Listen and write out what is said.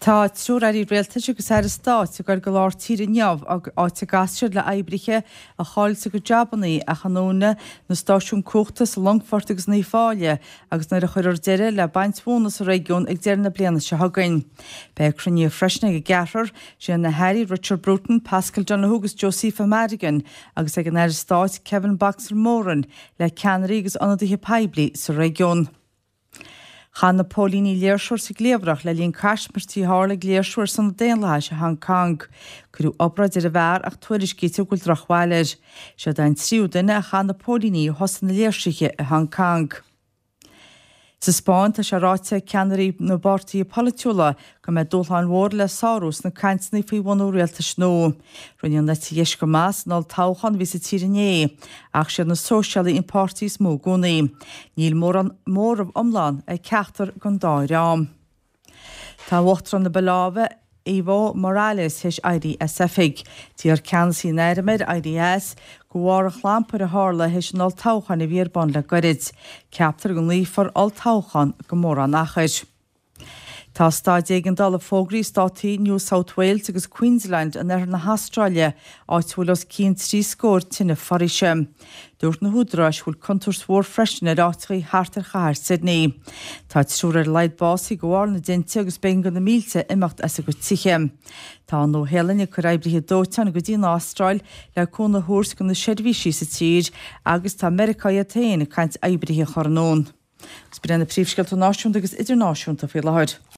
Tá triúr Airí Rialtais agus Aire Stáit ag goil go lár tíre inniu, áit a gcasfaidh siad le oibrithe a chaill a gcuid jabannaí a ndúnadh na stáisiúin cumhachta sa Longfort agus in Uíbh Fhailí agus nuair a chuirfear deireadh le baint mhóna sa réigiún ag deireadh na bliana seo chugainn. Beidh cruinnithe freisin ag an gceathrar, sin na hAirí Richard Bruton, Paschal Donohoe agus Josepha Madigan agus ag an Aire Stáit Kevin 'Boxer' Moran le ceannairí agus ionadaithe poiblí sa réigiún. Chaith na póilíní léirseoir sa gcliabhrach le linn caismirtí a tharla ag léirsiú ar son an daonlathais i Hong Kong. Cuireadh obráid ar an bhfear ach tuairiscítear go bhfuil drochbhail air. Seod é an tríú duine a chaith na póilíní ó thosaigh na léirsithe i Hong Kong. Sa Spáinn tá sé ráite ag ceannairí na bpáirtithe polaitiúla go mbeidh dúshláin mhóra le sárú sna cainteanna faoi bhunú rialtais nua. Rinne an eite dheis go maith san olltoghchán a bhí sa tír inné, ach siad na Sóisialaigh an páirtí is mó i gcónaí. Níl mórán móramh iomlán ag ceachtar den dá dhream. Tá Uachtarán na Boláive, Evo Morales, théis éirí as oifig. D'iarr ceannasaí an airm air éirí as, de bharr an chlampair a tharla théis an olltoghcháin a bhí ar bun le goirid. Ceaptar go nglaofar olltoghchán gan mórán achair. Tá staid éigeandála fógraithe i státaí New South Wales agus Queensland in oirthear na hAstráile, áit a bhfuil os cionn 3 scór tine foraoise. Dúirt na húdaráis go bhfuil contúirt mhór freisin ar áiteachaí thart ar chathair Sydney. Tá triúr ar a laghad básaithe de bharr na dtinte agus b'éigean do na mílte imeacht as a gcuid tithe. Tá an Nua-Shéalainn ag cur oibrithe dóiteáin go dtí an Astráil le cúnamh a thabhairt do na seirbhísí sa tír agus tá Meiriceá iad féin ag caint oibrithe a chur anonn. Agus b'in iad na príomhscéalta náisiúnta agus idirnáisiúnta faoi láthair.